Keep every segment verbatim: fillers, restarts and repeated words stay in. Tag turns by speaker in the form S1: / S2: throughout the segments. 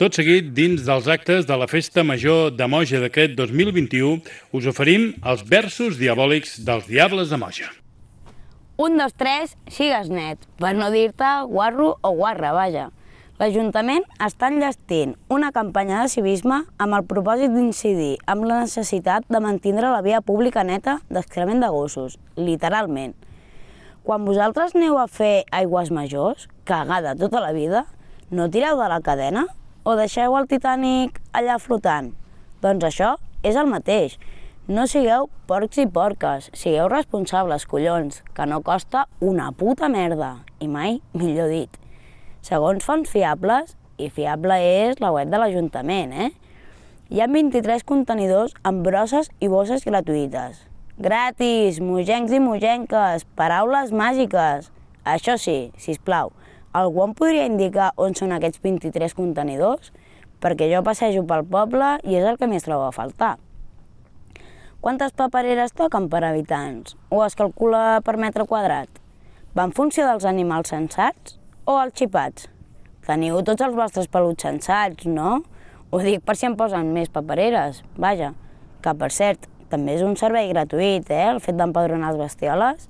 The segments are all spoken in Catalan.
S1: Tot seguit, dins dels actes de la Festa Major de Moja d'aquest dos mil vint-i-u, us oferim els versos diabòlics dels Diables de Moja.
S2: Un, dos, tres, sigues net, per no dir-te guarro o guarra, vaja. L'Ajuntament està enllestint una campanya de civisme amb el propòsit d'incidir amb la necessitat de mantindre la via pública neta d'excrement de gossos, literalment. Quan vosaltres aneu a fer aigües majors, cagada tota la vida, no tireu de la cadena? O deixeu el Titanic allà flotant? Doncs això és el mateix. No sigueu porcs i porques, sigueu responsables, collons, que no costa una puta merda, i mai millor dit. Segons fonts fiables, i fiable és la web de l'Ajuntament, eh? Hi ha vint-i-tres contenidors amb brosses i bosses gratuïtes. Gratis, mogencs i mogenques, paraules màgiques. Això sí, sisplau, algú em podria indicar on són aquests vint-i-tres contenidors? Perquè jo passejo pel poble i és el que més trobo a faltar. Quantes papereres toquen per habitants? O es calcula per metre quadrat? Va en funció dels animals sensats o els xipats? Teniu tots els vostres peluts sensats, no? Ho dic per si em posen més papereres, vaja. Que, per cert, també és un servei gratuït, eh, el fet d'empadronar les bestioles.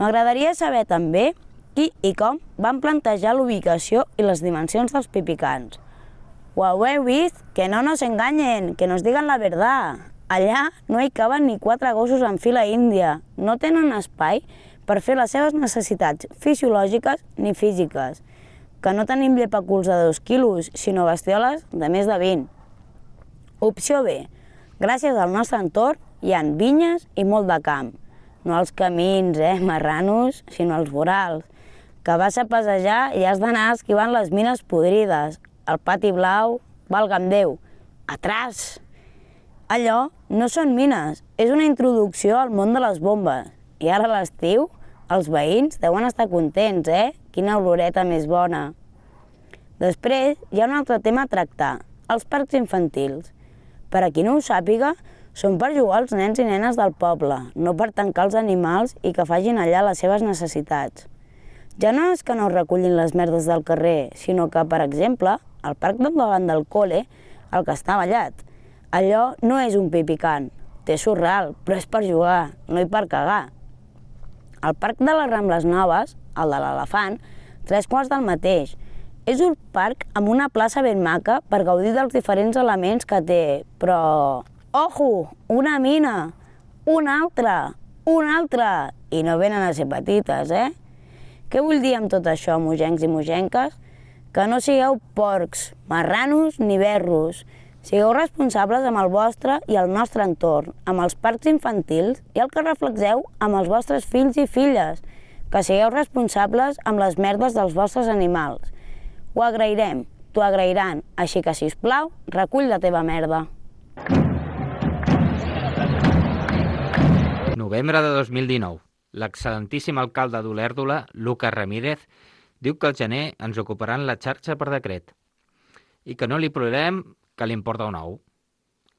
S2: M'agradaria saber també qui i com van plantejar l'ubicació i les dimensions dels pipicans. Ho heu vist? Que no nos enganyen, que nos digan la verdad. Allà no hi caben ni quatre gossos en fila índia. No tenen espai per fer les seves necessitats fisiològiques ni físiques. Que no tenim llepaculs de dos quilos, sinó bestioles de més de vint. Opció B. Gràcies al nostre entorn hi ha vinyes i molt de camp. No els camins, eh, marranos, sinó els vorals. Que vas a passejar i has d'anar esquivant les mines podrides. El pati blau, valga'm Déu. Atràs! Allò no són mines, és una introducció al món de les bombes. I ara a l'estiu, els veïns deuen estar contents, eh? Quina oloreta més bona. Després, hi ha un altre tema a tractar, els parcs infantils. Per a qui no ho sàpiga, són per jugar als nens i nenes del poble, no per tancar els animals i que facin allà les seves necessitats. Ja no és que no recullin les merdes del carrer, sinó que, per exemple, al parc del davant del col·le, el que està ballat, allò no és un pipicant, té surral, però és per jugar, no hi per cagar. Al parc de les Rambles Noves, el de l'Elefant, tres quarts del mateix. És un parc amb una plaça ben maca per gaudir dels diferents elements que té, però... Ojo! Una mina! Una altra! Una altra! I no venen a ser petites, eh? Què vull dir amb tot això, mogencs i mogenques? Que no sigueu porcs, marranos ni berros. Sigueu responsables amb el vostre i el nostre entorn, amb els parcs infantils i el que reflexeu amb els vostres fills i filles, que sigueu responsables amb les merdes dels vostres animals. Ho agrairem, t'ho agrairan, així que, sisplau, recull la teva merda.
S3: Novembre de dos mil dinou. L'excel·lentíssim alcalde d'Olèrdola, Lucas Ramírez, diu que al gener ens ocuparan la xarxa per decret i que no li plorem que li importa un ou.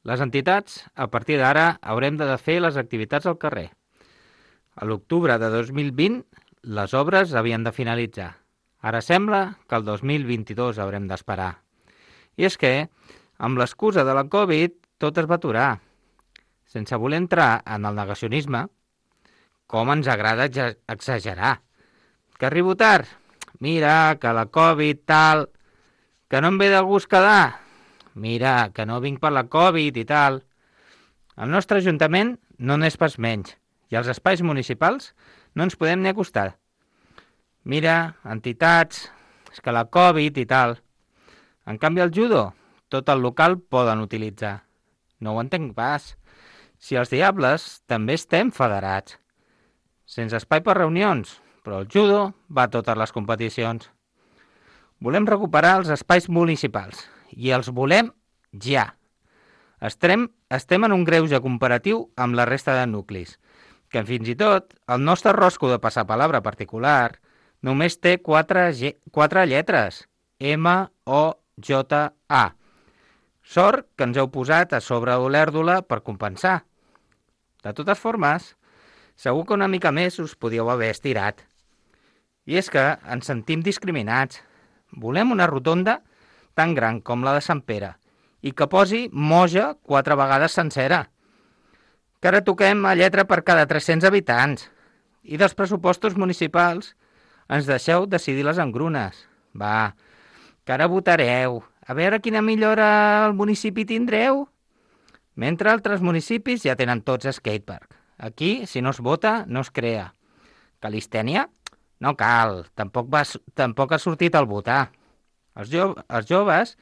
S3: Les entitats, a partir d'ara, haurem de fer les activitats al carrer. A l'octubre de dos mil vint, les obres havien de finalitzar. Ara sembla que el dos mil vint-i-dos haurem d'esperar. I és que, amb l'excusa de la Covid, tot es va aturar. Sense voler entrar en el negacionisme, com ens agrada exagerar. Que arribo tard? Mira, que la Covid, tal... Que no em ve de gust quedar? Mira, que no vinc per la Covid i tal. El nostre Ajuntament no n'és pas menys, i als espais municipals no ens podem ni acostar. Mira, entitats, és que la Covid i tal. En canvi, el judo, tot el local poden utilitzar. No ho entenc pas. Si els diables també estem federats. Sense espai per reunions, però el judo va a totes les competicions. Volem recuperar els espais municipals i els volem ja. Estem, estem en un greuge comparatiu amb la resta de nuclis, que fins i tot el nostre rosco de passapalabra particular només té quatre, G, quatre lletres, ema o jota a. Sort que ens heu posat a sobre Olèrdola per compensar. De totes formes, segur que una mica més us podíeu haver estirat. I és que ens sentim discriminats. Volem una rotonda tan gran com la de Sant Pere i que posi Moja quatre vegades sencera. Que ara toquem a lletra per cada tres-cents habitants. I dels pressupostos municipals ens deixeu decidir les engrunes. Va, que ara votareu. A veure quina millora al municipi tindreu. Mentre altres municipis ja tenen tots skatepark. Aquí, si no es vota, no es crea. Calistènia? No cal, tampoc, va, tampoc ha sortit al votar. Els, jo, els joves,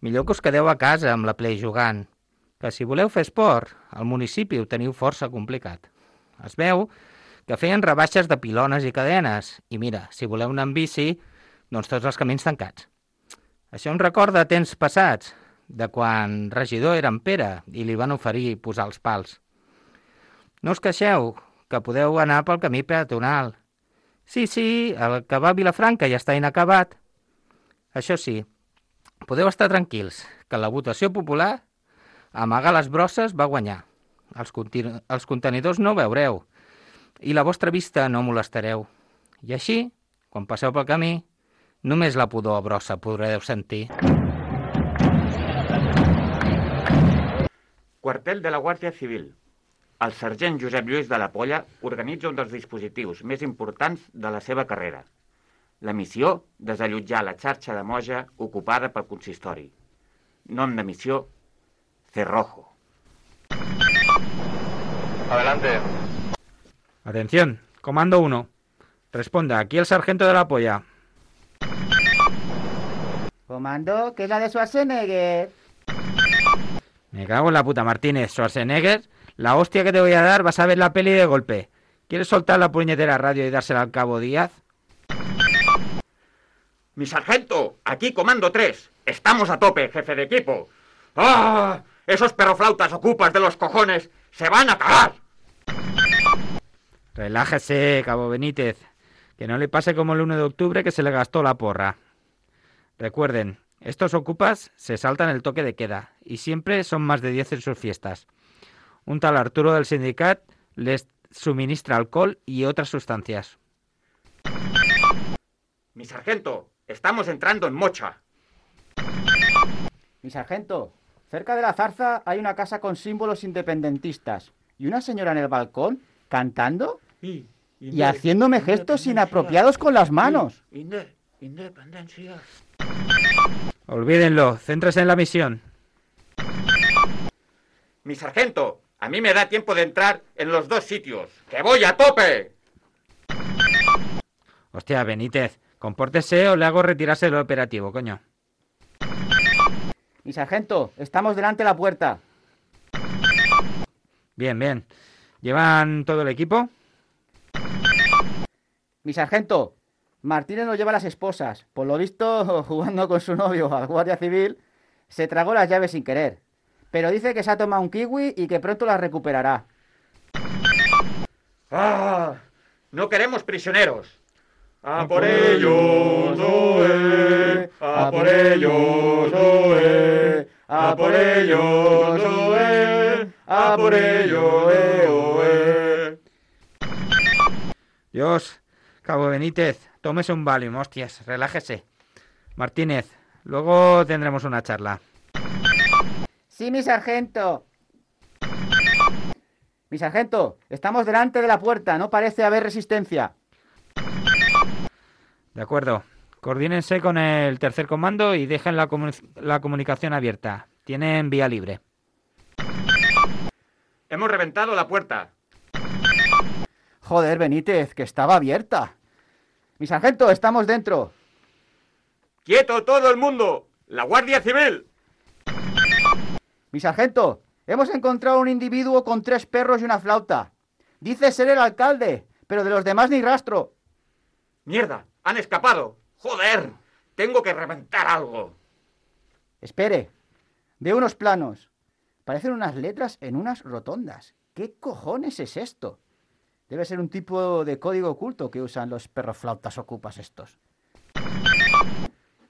S3: millor que us quedeu a casa amb la Play jugant, que si voleu fer esport, al municipi ho teniu força complicat. Es veu que feien rebaixes de pilones i cadenes, i mira, si voleu anar amb bici, doncs tots els camins tancats. Això em recorda temps passats, de quan regidor era en Pere i li van oferir posar els pals. No us queixeu, que podeu anar pel camí peatonal. Sí, sí, el que va a Vilafranca ja està inacabat. Això sí, podeu estar tranquils, que la votació popular, amagar les brosses, va guanyar. Els, continu- els contenidors no veureu, i la vostra vista no molestareu. I així, quan passeu pel camí, només la pudor a brossa podreu sentir.
S4: Quartel de la Guàrdia Civil. El sergent Josep Lluís de la Polla organitza un dels dispositius més importants de la seva carrera. La missió, desallotjar la xarxa de Moja ocupada pel consistori. Nom de missió, Cerrojo.
S5: Adelante.
S3: Atención, comando uno. Responda, aquí el sargento de la Polla.
S6: Comando, ¿qué es la de Schwarzenegger?
S3: Me cago en la puta, Martínez. Schwarzenegger, la hostia que te voy a dar, vas a ver la peli de golpe. ¿Quieres soltar la puñetera radio y dársela al cabo Díaz?
S4: Mi sargento, aquí comando tres. Estamos a tope, jefe de equipo. ¡Ah! Esos perroflautas ocupas de los cojones se van a cagar.
S3: Relájese, cabo Benítez. Que no le pase como el uno de octubre que se le gastó la porra. Recuerden, estos ocupas se saltan el toque de queda y siempre son más de diez en sus fiestas. Un tal Arturo del sindicat les suministra alcohol y otras sustancias.
S4: Mi sargento, estamos entrando en Mocha.
S6: Mi sargento, cerca de la Zarza hay una casa con símbolos independentistas y una señora en el balcón cantando y, y haciéndome gestos inapropiados con las manos.
S4: Inde, independencia.
S3: Olvídenlo, céntrese en la misión.
S4: Mi sargento, a mí me da tiempo de entrar en los dos sitios. ¡Que voy a tope!
S3: Hostia, Benítez, compórtese o le hago retirarse del operativo, coño.
S6: Mi sargento, estamos delante de la puerta.
S3: Bien, bien. ¿Llevan todo el equipo?
S6: Mi sargento, Martínez nos lleva las esposas. Por lo visto, jugando con su novio al guardia civil, se tragó las llaves sin querer. Pero dice que se ha tomado un kiwi y que pronto las recuperará.
S4: ¡Ah! No queremos prisioneros. ¡A por ellos, oe! ¡A por ellos, oe! ¡A por ellos, oe! ¡A por ellos, oe!
S3: Dios, cabo Benítez, tómese un Valium, hostias, relájese. Martínez, luego tendremos una charla.
S6: Sí, mi sargento. Mi sargento, estamos delante de la puerta, no parece haber resistencia.
S3: De acuerdo. Coordínense con el tercer comando y dejen la, comu- la comunicación abierta. Tienen vía libre.
S4: Hemos reventado la puerta.
S6: Joder, Benítez, que estaba abierta. Mi sargento, estamos dentro.
S4: ¡Quieto todo el mundo! ¡La Guardia Civil!
S6: Mi sargento, hemos encontrado un individuo con tres perros y una flauta. Dice ser el alcalde, pero de los demás ni rastro.
S4: ¡Mierda! ¡Han escapado! ¡Joder! Tengo que reventar algo.
S6: Espere, veo unos planos. Parecen unas letras en unas rotondas. ¿Qué cojones es esto? Debe ser un tipo de código oculto que usan los perroflautas ocupas estos.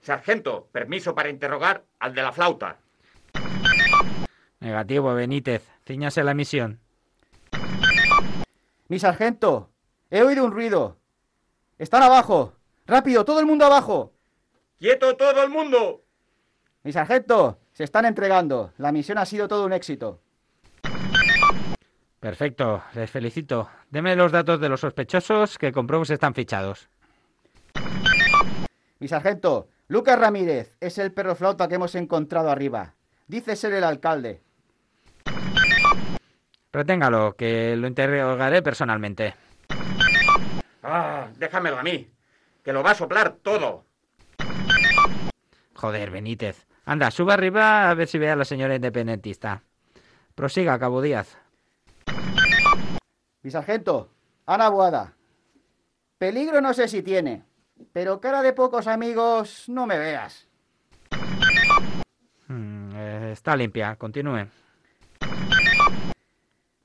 S4: Sargento, permiso para interrogar al de la flauta.
S3: Negativo, Benítez. Cíñase a la misión.
S6: Mi sargento, he oído un ruido. Están abajo. ¡Rápido, todo el mundo abajo!
S4: ¡Quieto todo el mundo!
S6: Mi sargento, se están entregando. La misión ha sido todo un éxito.
S3: Perfecto, les felicito. Deme los datos de los sospechosos que compruebo si están fichados.
S6: Mi sargento, Lucas Ramírez es el perro flauta que hemos encontrado arriba. Dice ser el alcalde.
S3: Reténgalo, que lo interrogaré personalmente.
S4: Ah, déjamelo a mí, que lo va a soplar todo.
S3: Joder, Benítez. Anda, suba arriba a ver si ve a la señora independentista. Prosiga, Cabo Díaz.
S6: Mi sargento, Ana Boada. Peligro no sé si tiene, pero cara de pocos amigos no me veas.
S3: Hmm, eh, está limpia, continúe.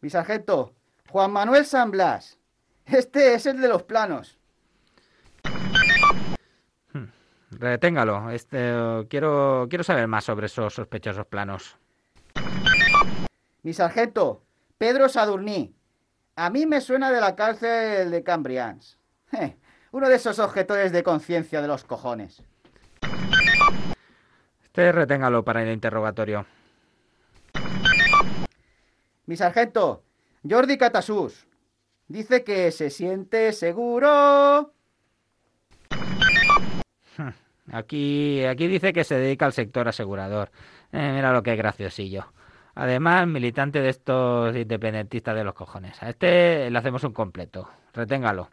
S6: Mi sargento, Juan Manuel San Blas. Este es el de los planos.
S3: Hmm, reténgalo. Este, quiero, quiero saber más sobre esos sospechosos planos.
S6: Mi sargento, Pedro Sadurní. A mí me suena de la cárcel de Cambrians. Eh, uno de esos objetores de conciencia de los cojones.
S3: Este reténgalo para el interrogatorio.
S6: Mi sargento, Jordi Catasús. Dice que se siente seguro.
S3: Aquí, aquí dice que se dedica al sector asegurador. Eh, mira lo que es graciosillo. Además, militante de estos independentistas de los cojones. A este le hacemos un completo. Reténgalo.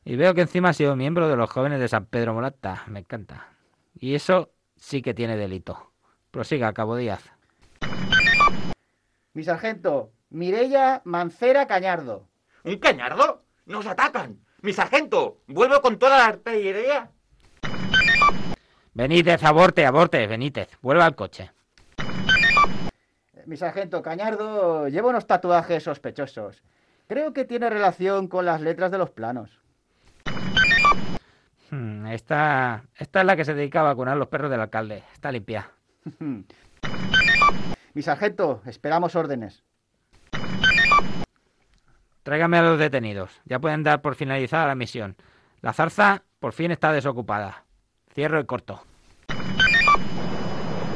S3: Y veo que encima ha sido miembro de los jóvenes de San Pedro Molata. Me encanta. Y eso sí que tiene delito. Prosiga, Cabo Díaz.
S6: Mi sargento, Mireia Mancera Cañardo.
S4: ¿Un cañardo? ¡Nos atacan! ¡Mi sargento! ¡Vuelvo con toda la artillería!
S3: Benítez, aborte, aborte, Benítez. Vuelva al coche.
S6: Mi sargento Cañardo lleva unos tatuajes sospechosos. Creo que tiene relación con las letras de los planos.
S3: Hmm, esta, esta es la que se dedicaba a vacunar los perros del alcalde. Está limpia.
S6: Mi sargento, esperamos órdenes.
S3: Tráigame a los detenidos. Ya pueden dar por finalizada la misión. La zarza por fin está desocupada. Cierro y corto.